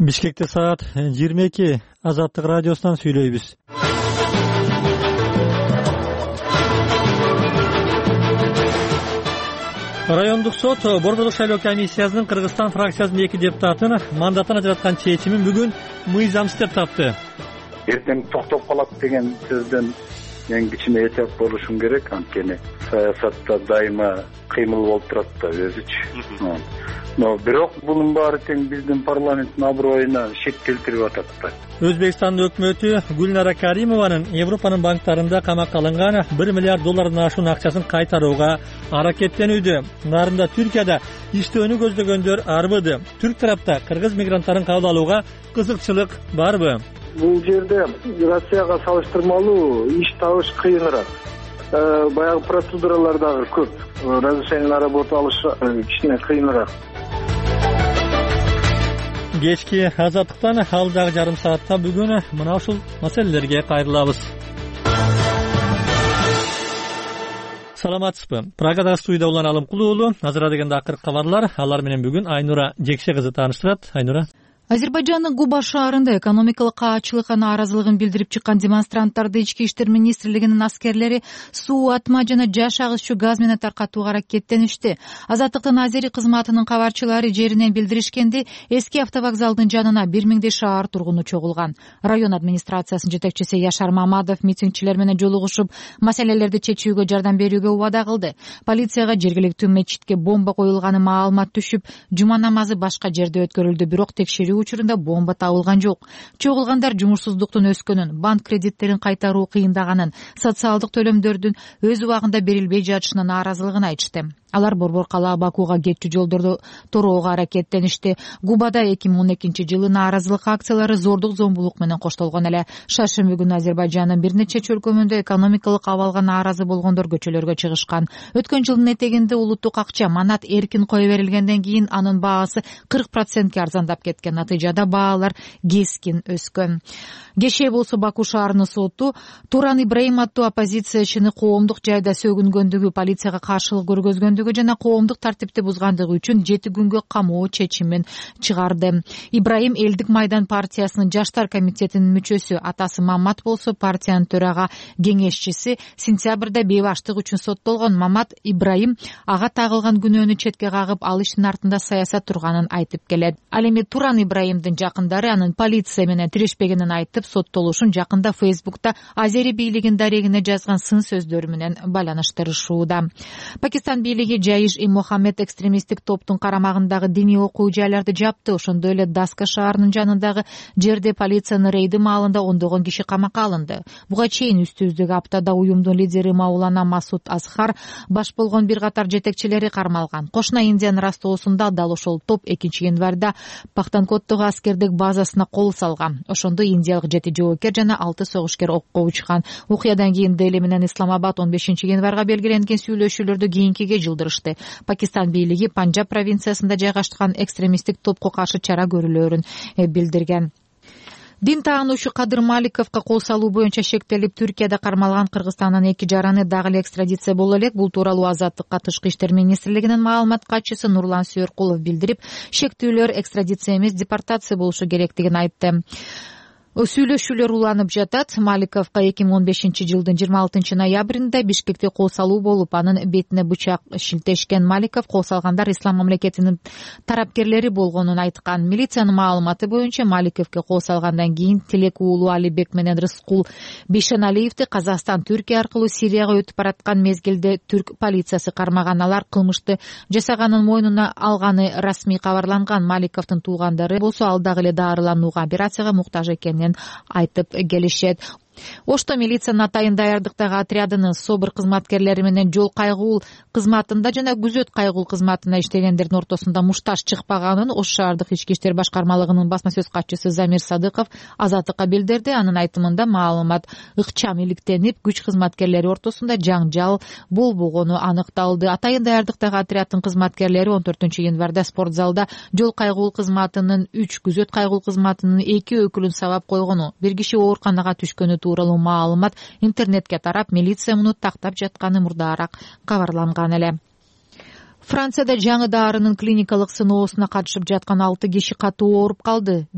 Бишкекте саат 22. Азаттык радиосунан сүйлөйбүз. Райондук сот Борбордук шайлоо комиссиясынын Кыргызстан фракциясынын 2 депутатын мандатын ажыраткан чечимин бүгүн мыйзамсыз деп тапты. Эртең токтоп калат деген сөздөн мен кичине этеп болушум керек, анткени саясатта дайыма кыймыл болуп турат да өзүчү. Но бирок бунун баары тең биздин парламенттин аброюна шек келтирип атат да. Өзбекстандын өкмөтү Гүлнара Каримованын Европанын банктарында камакка алынган 1 миллиард доллардан ашуун акчасын кайтарууга аракеттенүүдө. Нарында Түркияда иштөөнү көздөгөндөр арбыды. Түрк тарапта кыргыз мигранттарын кабыл алууга кызыкчылык барбы? Бул жерде Россияга салыштырмалуу иш табыш кыйыныраак. Баягы процедуралар дагы көп. Разрешение на работу алыш кичине кыйыныраак. Кечки азаттыктан алдагы жарым саатта бүгүн мына ушул маселелерге кайрылабыз. Саламатсызбы? Прагадагы студияда улан Алымкулуу уулу. Азыр дегенде акыркы кабарлар. Алар менен бүгүн Айнура Жекше кызы тааныштырат. Айнура. Азербайжандын Губа шаарында экономикалык каачылыкка нааразылыгын билдирип чыккан демонстранттарды Ички иштер министрлигинин аскерлери суу, атма жана жаш агызчу газ менен таркатууга аракеттеништи. Азаттыктын азери кызматынын кабарчылары жеринен билдиришкенде, эски автовокзалдын жанына 1000дей шаар тургуну чогулган. Район администрациясынын жетекчиси Яшар Мамадов митингчилер менен жолугушуп, маселелерди чечүүгө жардам берүүгө убада кылды. Полицияга жергиликтүү мечитке бомба коюлганы маалымат түшүп, жума намазы башка жерде өткөрүлдү, бирок текшерүү учурунда бомба табылган жок. Чогулгандар жумушсуздуктун өскөнүн, банк кредиттерин кайтаруу кыйындаганын, социалдык төлөмдөрдүн өз убагында берилбей жатышына нааразылыгын айтышты. Алар Борбор калаа Бакууга кетчү жолдорду тороого аракеттеништи. Губада 2012-жылы нааразылык акциялары зордук зомбулук менен коштолгон эле. Шаршемби күнү Азербайжандын бир нече чөлкөмүндө экономикалык абалга нааразы болгондор көчөлөргө чыгышкан. Өткөн жылдын этегинде улуттук акча манат эркин кое берилгенден кийин анын баасы 40%ке арзандап кеткен. Натыйжада баалар кескин өскөн. Кеше болсо Баку шаарынын соту Туран Ибраим аттуу оппозициячыны коомдук жайда сөгүнгөндүгү, полицияга каршылык көргөзгөндүгү жана коомдук тартипти бузгандыгы үчүн 7 күнгө камоо чечимин чыгарды. Ибраим Элдик майдан партиясынын жаштар комитетинин мүчөсү, атасы Мамат болсо партиянын төрага кеңешчиси. Сентябрда бейбаштык үчүн соттолгон Мамат Ибраим ага тагылган күнөөнү четке кагып, ал иштин артында саясат турганын айтып келет. Ал эми Туран Ибраимдин жакындары анын полиция менен тирешпегенин айтып, соттолушун жакында Фейсбукта азери бийлигинин дарегине жазган сын сөздөрү менен байланыштырышууда. Пакистан бийлиги Жаиш-и Мохаммед экстремисттик топтун карамагындагы диний окуу жайларды жапты. Ошондой эле Даска шаарынын жанындагы жерде полициянын рейди маалында ондогон киши камакка алынды. Буга чейин үстүбүздөгү аптада уюмдун лидери Маулана Масуд Азхар баш болгон бир катар жетекчилери кармалган. Кошуна Индиянын Ростовусунда дал ошол топ 2-январда Пахтанкоттогу аскердик базасына кол салган. Ошондо индиялык 7 жоокер жана 6 согушкер окко учкан. Окуядан кийин Дели менен Исламабад 15-январга белгиленген сүйлөшүүлөрдү кийинкиге жылдырышты. Пакистан бийлиги Панджаб провинциясында жайгашкан экстремисттик топко каршы чара көрүлөөрүн билдирген. Дин таануучу Кадыр Маликовго кол салуу боюнча шектелип, Түркияда кармалган Кыргызстандын 2 жараны дагы эле экстрадиция боло элек. Бул тууралуу Азаттыкка Тышкы иштер министрлигинин маалымат катчысы Нурлан Сүйөркулов билдирип, шектүүлөр экстрадиция эмес, депортация болушу керектигин айтты. Сүйлөшүүлөр уланып жатат. Маликовго 2015-жылдын 26-ноябрында Бишкекте кол салуу болуп, анын бетине бычак шилтешкен. Маликов кол салгандар Ислам мамлекетинин тарапкерлери болгонун айткан. Милициянын маалыматы боюнча Маликовго кол салгандан кийин Тилек уулу Алибек менен Рыскул Бишеналиевди Казакстан Түркия аркылуу Сирияга өтүп бараткан мезгилде түрк полициясы кармаган. Алар кылмышты жасаганын мойнуна алганы расмий кабарланган. Маликовдун туугандары болсо ал дагы эле дарыланууга, операцияга муктаж экенин айтып келишет. Ошто милициянын атайын даярдыктагы отрядынын СОБР кызматкерлери менен жол кайгуул кызматында жана күзөт кайгуул кызматында иштегендердин ортосунда мушташ чыкпаганын Ош шаардык ички иштер башкармалыгынын басма сөз катчысы Замир Садыков Азаттыкка билдирди. Анын айтымында маалымат ыкчам иликтенип, күч кызматкерлери ортосунда жаңжал болбогону аныкталды. Атайын даярдыктагы отряддын кызматкерлери 14-январда спортзалда жол кайгуул кызматынын 3, күзөт кайгуул кызматынын 2 өкүлүн сабап койгону, бир киши ооруканага түшкөнү тууралуу маалымат интернетке тарап, милиция муну тактап жатканы мурдаараак кабарланган эле. Францияда жаңы дарынын клиникалык сыноосуна катышып жаткан 6 киши катуу ооруп калды.